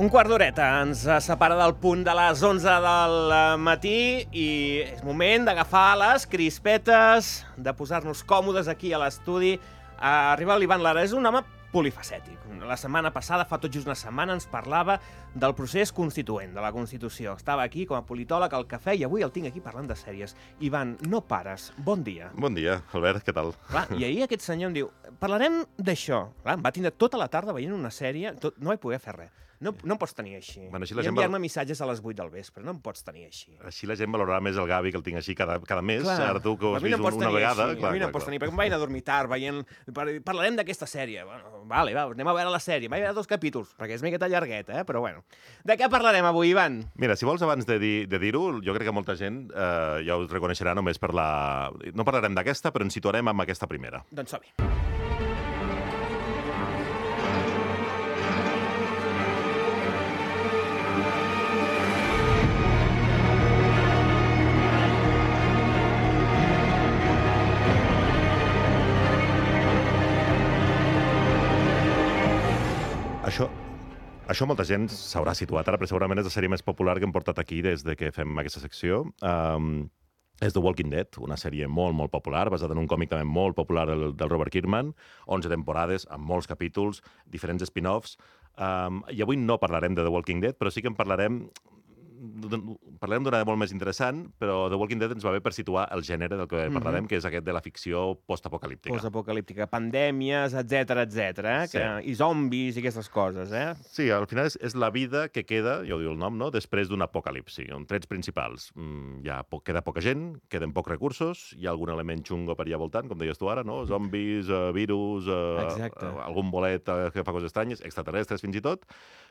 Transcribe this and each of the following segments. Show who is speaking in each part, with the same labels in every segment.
Speaker 1: Un quart d'horeta ens separa del punt de les 11 del matí i és moment d'agafar les crispetes, de posar-nos còmodes aquí a l'estudi. Arriba l'Ivan Lara, és un home polifacètic. La setmana passada, fa tot just una setmana, ens parlava del procés constituent, de la Constitució. Estava aquí com a politòleg al cafè i avui el tinc aquí parlant de sèries. Ivan, no pares. Bon dia.
Speaker 2: Bon dia, Albert, què tal?
Speaker 1: Clar, i ahir aquest senyor em diu, parlarem d'això. Clar, em va tindre tota la tarda veient una sèrie, no vaig poder fer res. No em pots tenir així.
Speaker 2: Bueno,
Speaker 1: I enviar-me missatges a les 8 del vespre, no em pots tenir així.
Speaker 2: Així la gent valorarà més el Gavi, que el tinc així cada mes.
Speaker 1: Clar,
Speaker 2: Ara tu que ho has vist una vegada...
Speaker 1: A mi no em pots tenir, perquè em vaig anar a dormir tard veient... Parlarem d'aquesta sèrie. Bueno, vale, anem a veure la sèrie. Vaig veure 2 capítols, perquè és miqueta llargueta, però bueno. De què parlarem avui, Ivan?
Speaker 2: Mira, si vols, abans de dir-ho, jo crec que molta gent ja us reconeixerà només per la... No parlarem d'aquesta, però ens situarem amb aquesta primera.
Speaker 1: Doncs som-hi.
Speaker 2: Això molta gent s'haurà situat ara, però segurament és la sèrie més popular que hem portat aquí des de que fem aquesta secció. És The Walking Dead, una sèrie molt, molt popular, basada en un còmic també molt popular del Robert Kirkman, 11 temporades, amb molts capítols, diferents spin-offs. I avui no parlarem de The Walking Dead, però sí que en parlarem d'una molt més interessant, però The Walking Dead ens va bé per situar el gènere del que parlarem, que és aquest de la ficció postapocalíptica.
Speaker 1: Postapocalíptica, pandèmies, etc,
Speaker 2: Sí.
Speaker 1: i zombis i aquestes coses,
Speaker 2: Sí, al final és la vida que queda, ja ho diu el nom, no?, després d'un apocalipsi. En trets principals. Queda poca gent, queden pocs recursos, hi ha algun element xungo per allà voltant, com deies tu ara, no? Zombis, virus, algun bolet que fa coses estranyes, extraterrestres fins i tot,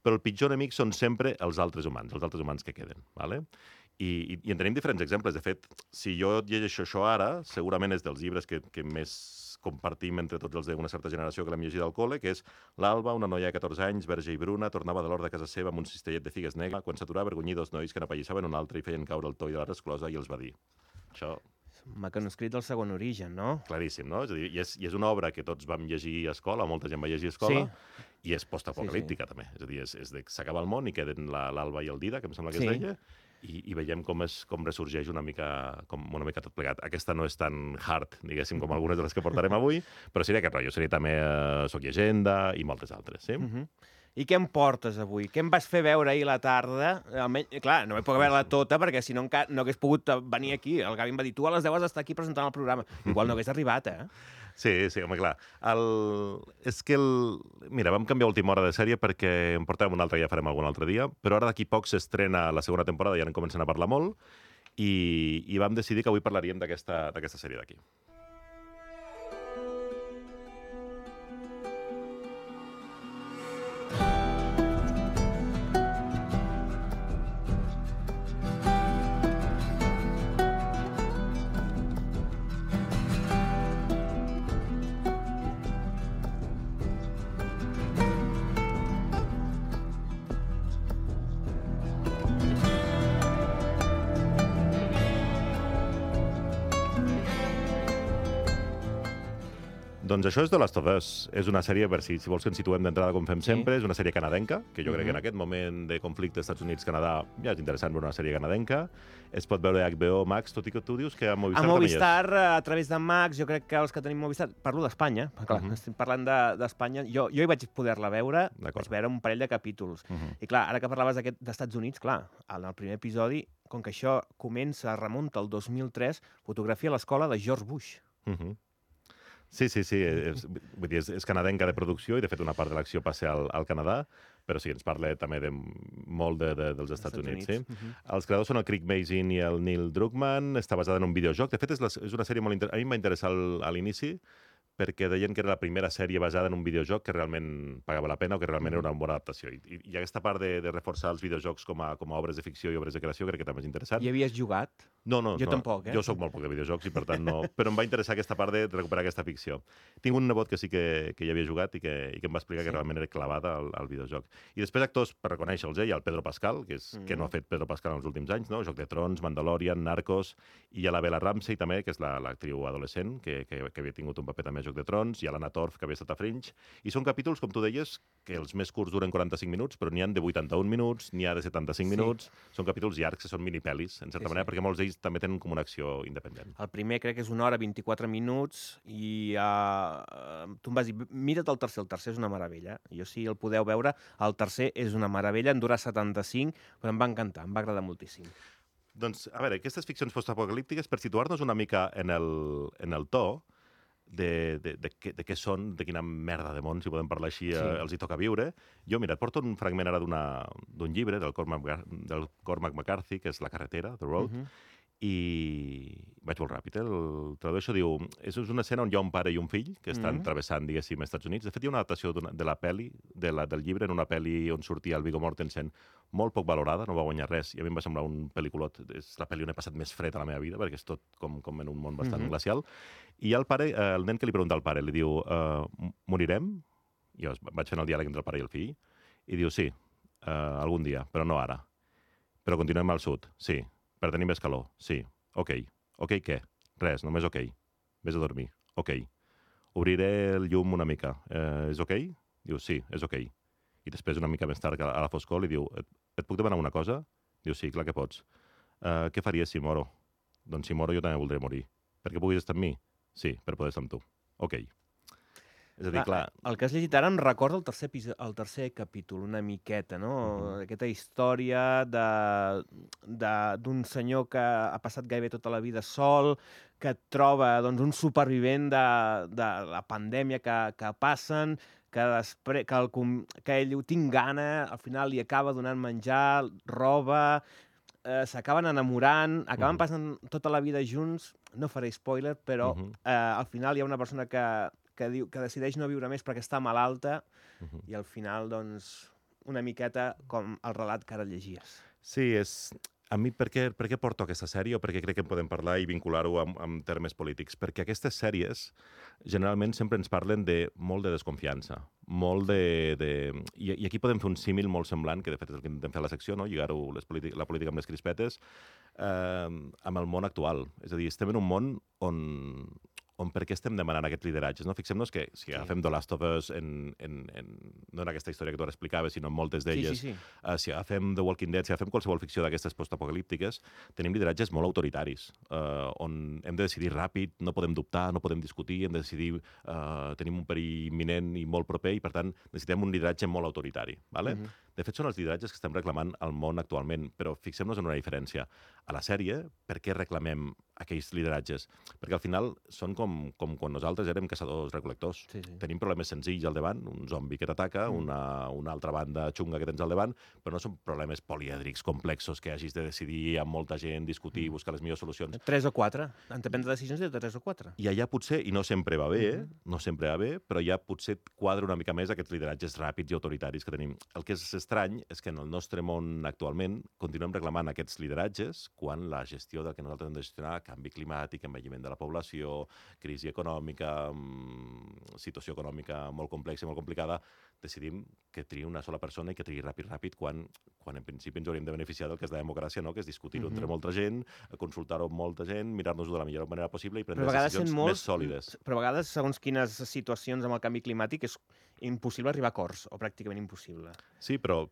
Speaker 2: però el pitjor enemic són sempre els altres humans que queden. Vale? I en tenim diferents exemples. De fet, si jo llegeixo això ara, segurament és dels llibres que més compartim entre tots els d'una certa generació que l'hem llegit al col·le, que és l'Alba, una noia de 14 anys, verge i bruna, tornava de l'hort de casa seva amb un cistellet de figues negre, quan s'aturava avergonyir 2 nois que n'apallissaven un altre i feien caure el toll de la resclosa i els va dir. Això...
Speaker 1: Manuscrit del Segon Origen, no?
Speaker 2: Claríssim, no? És a dir, i és una obra que tots vam llegir a escola, molta gent va llegir a escola, i és postapocalíptica, també. És a dir, s'acaba el món i queden l'Alba i el Dida, que em sembla que es deia, i veiem com ressorgeix una mica tot plegat. Aquesta no és tan hard, diguéssim, com algunes de les que portarem avui, però seria aquest rotllo. Seria també Soc Llegenda i moltes altres, sí?
Speaker 1: I què em portes avui? Què em vas fer veure ahir a la tarda? Almenys, clar, no vaig poder veure-la tota, perquè si no no hagués pogut venir aquí. El Gavi em va dir, tu a les 10 has d'estar aquí presentant el programa. Igual no hagués arribat,
Speaker 2: Sí, home, clar. Mira, vam canviar última hora de sèrie perquè en portàvem una altra, ja farem algun altre dia, però ara d'aquí poc s'estrena la segona temporada, ja en comencen a parlar molt, i vam decidir que avui parlaríem d'aquesta sèrie d'aquí. Doncs això és The Last of Us. És una sèrie, per si vols que ens situem d'entrada com fem sempre, és una sèrie canadenca, que jo crec que en aquest moment de conflicte Estats Units-Canadà ja és interessant veure una sèrie canadenca. Es pot veure a HBO Max, tot i que tu dius que a Movistar
Speaker 1: també és. A Movistar, a través de Max, jo crec que els que tenim Movistar... Parlo d'Espanya, clar, estic parlant d'Espanya. Jo hi vaig poder-la veure, vaig veure un parell de capítols. I clar, ara que parlaves d'Estats Units, clar, en el primer episodi, com que això remunta al 2003, fotografia a l'escola de George Bush.
Speaker 2: Sí, vull dir, és canadenca de producció i, de fet, una part de l'acció passa al Canadà, però sí, ens parla també molt dels Estats Units. Sí? Els creadors són el Craig Mazin i el Neil Druckmann, està basada en un videojoc. De fet, és una sèrie molt interessant. A mi em va interessar a l'inici, perquè deien que era la primera sèrie basada en un videojoc que realment pagava la pena o que realment era una bona adaptació. I aquesta part de reforçar els videojocs com a obres de ficció i obres de creació crec que també és interessant.
Speaker 1: Hi havies jugat?
Speaker 2: No, no,
Speaker 1: Jo
Speaker 2: no.
Speaker 1: tampoc,
Speaker 2: Jo sóc molt poc de videojocs i per tant no... Però em va interessar aquesta part de recuperar aquesta ficció. Tinc un nebot que sí que hi havia jugat i que em va explicar que realment era clavada al videojoc. I després actors, per reconèixer-los, hi ha el Pedro Pascal, que no ha fet Pedro Pascal en els últims anys, no? Joc de Trons, Mandalorian, Narcos, i hi ha la Bella Ramsey també, que és l'actriu adolescent, que havia tingut un paper també a Joc de Trons, i a l'Anna Torf, que havia estat a Fringe. I són capítols, com tu deies, que els més curts duren 45 minuts, però n'hi ha de 81 minuts, n'hi ha de 75 minuts. Són capítols llargs, que són mini-pelis, en certa manera, perquè molts d'ells també tenen com una acció independent.
Speaker 1: El primer crec que és 1 hora 24 minuts i tu em vas dir, mira't el tercer és una meravella. Jo si el podeu veure, el tercer és una meravella, en dura 75, però em va encantar, em va agradar moltíssim.
Speaker 2: Doncs, a veure, aquestes ficcions postapocalíptiques, per situar-nos una mica en el to, de què són, de quina merda de món, si podem parlar així, els hi toca viure. Jo, mira, et porto un fragment ara d'un llibre del Cormac McCarthy, que és La carretera, The Road, i vaig molt ràpid, el tradueixo, diu, és una escena on hi ha un pare i un fill que estan travessant, diguéssim, als Estats Units. De fet, hi ha una adaptació de la pel·li, del llibre, en una pel·li on sortia el Viggo Mortensen, molt poc valorada, no va guanyar res, i a mi em va semblar un pel·lículot. És la pel·li on he passat més fred a la meva vida, perquè és tot com en un món bastant glacial. I el pare, el nen que li pregunta al pare, li diu, morirem? Jo vaig fent el diàleg entre el pare i el fill, i diu, sí, algun dia, però no ara. Però continuem al sud, sí. Per tenir més calor, sí. Ok. Ok què? Res, només ok. Vés a dormir. Ok. Obriré el llum una mica. És ok? Diu, sí, és ok. I després, una mica més tard, a la foscor, li diu, et puc demanar una cosa? Diu, sí, clar que pots. Què faries si moro? Doncs si moro jo també voldré morir. Perquè puguis estar amb mi? Sí, per poder estar amb tu. Ok. És a dir, clar...
Speaker 1: El que has llegit ara em recorda el tercer capítol, una miqueta, no? Aquesta història d'un senyor que ha passat gairebé tota la vida sol, que troba doncs, un supervivent de la pandèmia que passen, que ell ho tinc gana, al final li acaba donant menjar, roba, s'acaben enamorant, acaben passant tota la vida junts, no faré spoiler, però al final hi ha una persona que decideix no viure més perquè està malalta i al final, doncs, una miqueta com el relat que ara llegies.
Speaker 2: Sí, a mi, per què porto aquesta sèrie o per què crec que en podem parlar i vincular-ho amb termes polítics? Perquè aquestes sèries generalment sempre ens parlen de molt de desconfiança, molt I aquí podem fer un símil molt semblant, que de fet és el que intentem fer a la secció, no? Lligar-ho la política amb les crispetes, amb el món actual. És a dir, estem en un món on per què estem demanant aquests lideratges. No? Fixem-nos que si agafem The Last of Us, no en aquesta història que tu ara explicaves, sinó en moltes d'elles, si agafem The Walking Dead, si agafem qualsevol ficció d'aquestes postapocalíptiques, tenim lideratges molt autoritaris, on hem de decidir ràpid, no podem dubtar, no podem discutir, hem de decidir, tenim un perill imminent i molt proper, i per tant necessitem un lideratge molt autoritari. Vale? De fet, són els lideratges que estem reclamant al món actualment, però fixem-nos en una diferència. A la sèrie, per què reclamem aquells lideratges? Perquè al final són com quan nosaltres érem caçadors-recol·lectors. Tenim problemes senzills al davant, un zombi que t'ataca, una altra banda xunga que tens al davant, però no són problemes polièdrics, complexos, que hagis de decidir amb molta gent, discutir, buscar les millors solucions.
Speaker 1: 3 o 4. Han de prendre decisions de 3 o 4.
Speaker 2: I allà potser, i no sempre va bé, però ja potser quadra una mica més aquests lideratges ràpids i autoritaris que tenim. El que és estrany és que en el nostre món actualment continuem reclamant aquests lideratges quan la gestió del que nosaltres hem de gestionar, canvi climàtic, envelliment de la població, crisi econòmica, situació econòmica molt complexa i molt complicada, decidim que triï una sola persona i que triï ràpid, quan en principi ens hauríem de beneficiar del que és la democràcia, no? Que és discutir-ho entre molta gent, consultar-ho amb molta gent, mirar-nos-ho de la millor manera possible i prendre decisions més sòlides.
Speaker 1: Però a vegades, segons quines situacions amb el canvi climàtic, és impossible arribar a acords, o pràcticament impossible.
Speaker 2: Sí, però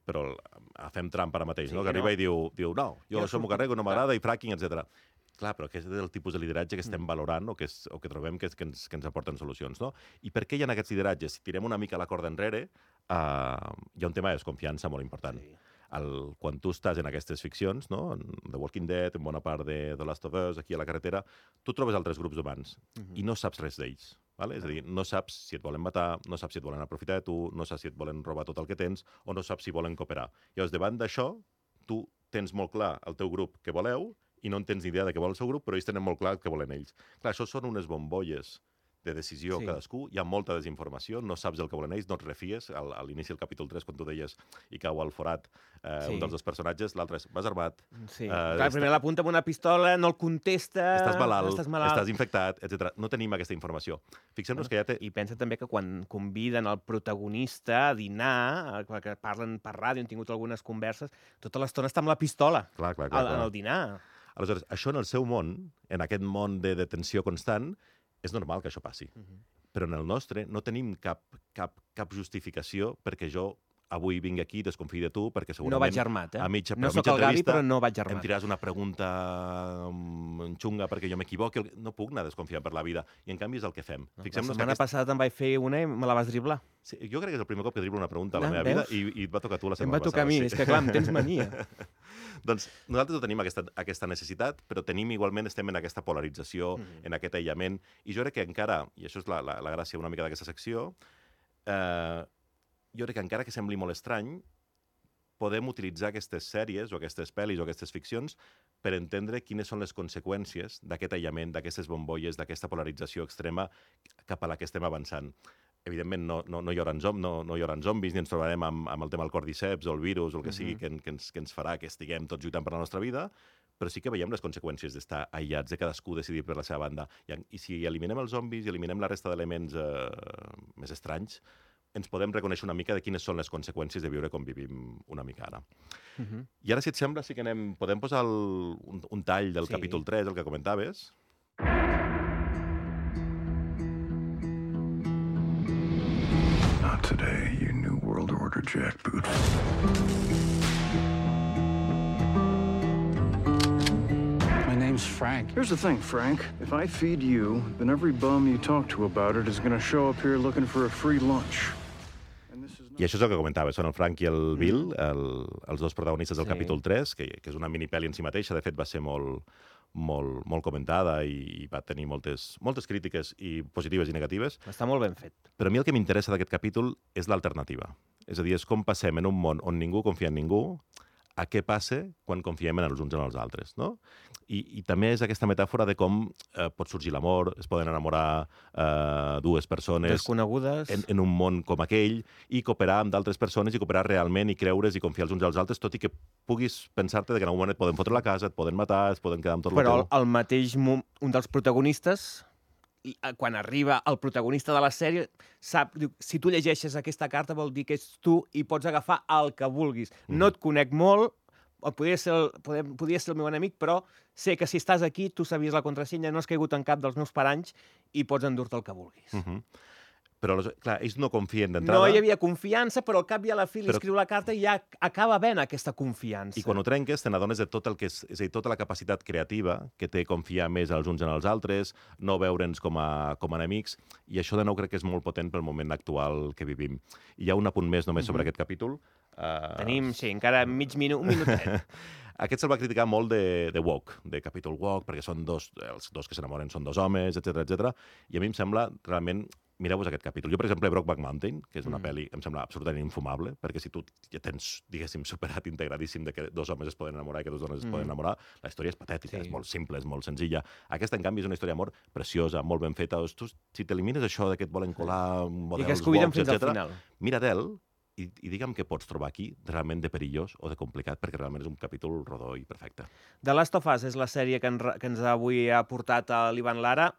Speaker 2: fem Trump ara mateix, no? Que arriba i diu, no, jo això m'ho carrego, no m'agrada, i fracking, etc. Clar, però aquest és el tipus de lideratge que estem valorant o que trobem que ens aporten solucions, no? I per què hi ha aquests lideratges? Si tirem una mica la corda enrere, hi ha un tema de desconfiança molt important. Quan tu estàs en aquestes ficcions, no? En The Walking Dead, en bona part de The Last of Us, aquí a la carretera, tu trobes altres grups humans i no saps res d'ells. Vale? És a dir, no saps si et volen matar, no saps si et volen aprofitar de tu, no saps si et volen robar tot el que tens o no saps si volen cooperar. Llavors, davant d'això, tu tens molt clar el teu grup que voleu i no en tens ni idea de què vol el seu grup, però ells tenen molt clar el que volen ells. Clar, això són unes bombolles de decisió cadascú, hi ha molta desinformació, no saps el que volen ells, no et refies. A l'inici del capítol 3, quan tu deies i cau al forat un dels dos personatges, l'altre és, vas armat.
Speaker 1: Sí, clar, primer l'apunta amb una pistola, no el contesta...
Speaker 2: Estàs malalt, estàs infectat, etc. No tenim aquesta informació. Fixem-nos que ja té...
Speaker 1: I pensa també que quan conviden el protagonista a dinar, que parlen per ràdio, han tingut algunes converses, tota l'estona està amb la pistola en el dinar.
Speaker 2: Aleshores, això en el seu món, en aquest món de detenció constant, és normal que això passi. Però en el nostre no tenim cap justificació perquè jo avui vinc aquí i desconfiï de tu, perquè segurament...
Speaker 1: No vaig armat,
Speaker 2: No
Speaker 1: soc el Gavi, però no vaig armat.
Speaker 2: Em tiràs una pregunta xunga perquè jo m'equivoqui. No puc anar desconfiant per la vida. I en canvi és el que fem.
Speaker 1: La setmana passada te'n vaig fer una i me la vas driblar.
Speaker 2: Sí, jo crec que és el primer cop que driblo una pregunta a la meva vida i et va tocar a tu la setmana passada.
Speaker 1: Em va tocar a mi, és que clar, em tens mania.
Speaker 2: Doncs nosaltres no tenim aquesta necessitat, però igualment estem en aquesta polarització, en aquest aïllament, i jo crec que encara, i això és la gràcia una mica d'aquesta secció, jo crec que encara que sembli molt estrany, podem utilitzar aquestes sèries o aquestes pel·lis o aquestes ficcions per entendre quines són les conseqüències d'aquest aïllament, d'aquestes bombolles, d'aquesta polarització extrema cap a la que estem avançant. Evidentment, no hi haurà zombis, ni ens trobarem amb el tema del cordyceps o el virus o el que sigui que ens farà que estiguem tots lluitant per la nostra vida, però sí que veiem les conseqüències d'estar aïllats, de cadascú decidir per la seva banda. I si eliminem els zombis i eliminem la resta d'elements més estranys, ens podem reconèixer una mica de quines són les conseqüències de viure com vivim una mica ara. I ara, si et sembla, sí que podem posar un tall del capítol 3, el que comentaves.
Speaker 3: Not today, you New World Order jackboot. My name's Frank. Here's the thing, Frank. If I feed you, then every bum you talk to about it is going to show up here looking for a free lunch.
Speaker 2: I això és el que comentava, són el Frank i el Bill, els dos protagonistes del capítol 3, que és una minipel·li en si mateixa, de fet va ser molt comentada i va tenir moltes crítiques i positives i negatives.
Speaker 1: Està molt ben fet.
Speaker 2: Però a mi el que m'interessa d'aquest capítol és l'alternativa. És a dir, és com passem en un món on ningú confia en ningú a què passa quan confiem en els uns en els altres, no? I també és aquesta metàfora de com pot sorgir l'amor, es poden enamorar dues persones
Speaker 1: desconegudes
Speaker 2: en un món com aquell i cooperar amb d'altres persones i cooperar realment i creure's i confiar els uns als altres, tot i que puguis pensar-te que en algun moment et poden fotre la casa, et poden matar, es poden quedar amb tot el teu.
Speaker 1: Però al mateix un dels protagonistes, quan arriba el protagonista de la sèrie, sap, diu, si tu llegeixes aquesta carta vol dir que és tu i pots agafar el que vulguis. No et conec molt, podria ser el meu enemic, però sé que si estàs aquí, tu sabies la contrasenya, no has caigut en cap dels meus paranys i pots endur-te el que vulguis.
Speaker 2: Però, clar, ells no confien d'entrada.
Speaker 1: No hi havia confiança, però al cap i a la fi li escriu la carta i ja acaba havent aquesta confiança.
Speaker 2: I quan ho trenques, te n'adones de tot el que és a dir, tota la capacitat creativa que té confiar més els uns en els altres, no veure'ns com a enemics, i això de nou crec que és molt potent pel moment actual que vivim. I hi ha un apunt més només sobre aquest capítol.
Speaker 1: Tenim, sí, encara un minutet.
Speaker 2: Aquest se'l va criticar molt de woke, de capítol woke, perquè són els dos que s'enamoren són dos homes, etc. I a mi em sembla realment... Mireu-vos aquest capítol. Jo, per exemple, Brokeback Mountain, que és una pel·li que em sembla absolutament infumable, perquè si tu ja tens, diguéssim, superat, integradíssim de que dos homes es poden enamorar i que dos dones es poden enamorar, la història és patètica, és molt simple, és molt senzilla. Aquesta, en canvi, és una història d'amor preciosa, molt ben feta. Tu, si t'elimines això de que et volen colar models woke, etc., mira-te'l i digue'm què pots trobar aquí realment de perillós o de complicat, perquè realment és un capítol rodó i perfecte.
Speaker 1: The Last of Us és la sèrie que ens avui ha portat l'Ivan Lara.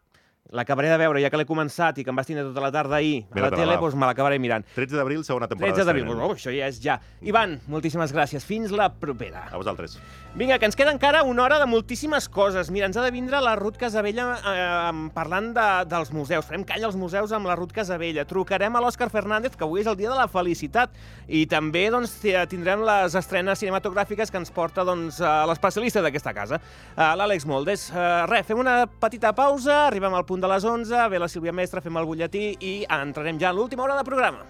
Speaker 1: L'acabaré de veure, ja que l'he començat i que em vas tindre tota la tarda ahir a la tele, doncs me l'acabaré mirant.
Speaker 2: 13 d'abril, segona temporada.
Speaker 1: 13 d'abril, això ja és ja. Ivan, moltíssimes gràcies. Fins la propera.
Speaker 2: A vosaltres.
Speaker 1: Vinga, que ens queda encara una hora de moltíssimes coses. Mira, ens ha de vindre la Ruth Casabella parlant dels museus. Farem calla als museus amb la Ruth Casabella. Trucarem a l'Òscar Fernández, que avui és el dia de la felicitat. I també tindrem les estrenes cinematogràfiques que ens porta l'especialista d'aquesta casa, l'Àlex Moldes. Res, fem una petita pausa, arribem al punt de les 11, ve la Sílvia Mestre, fem el butlletí i entrarem ja a l'última hora de programa.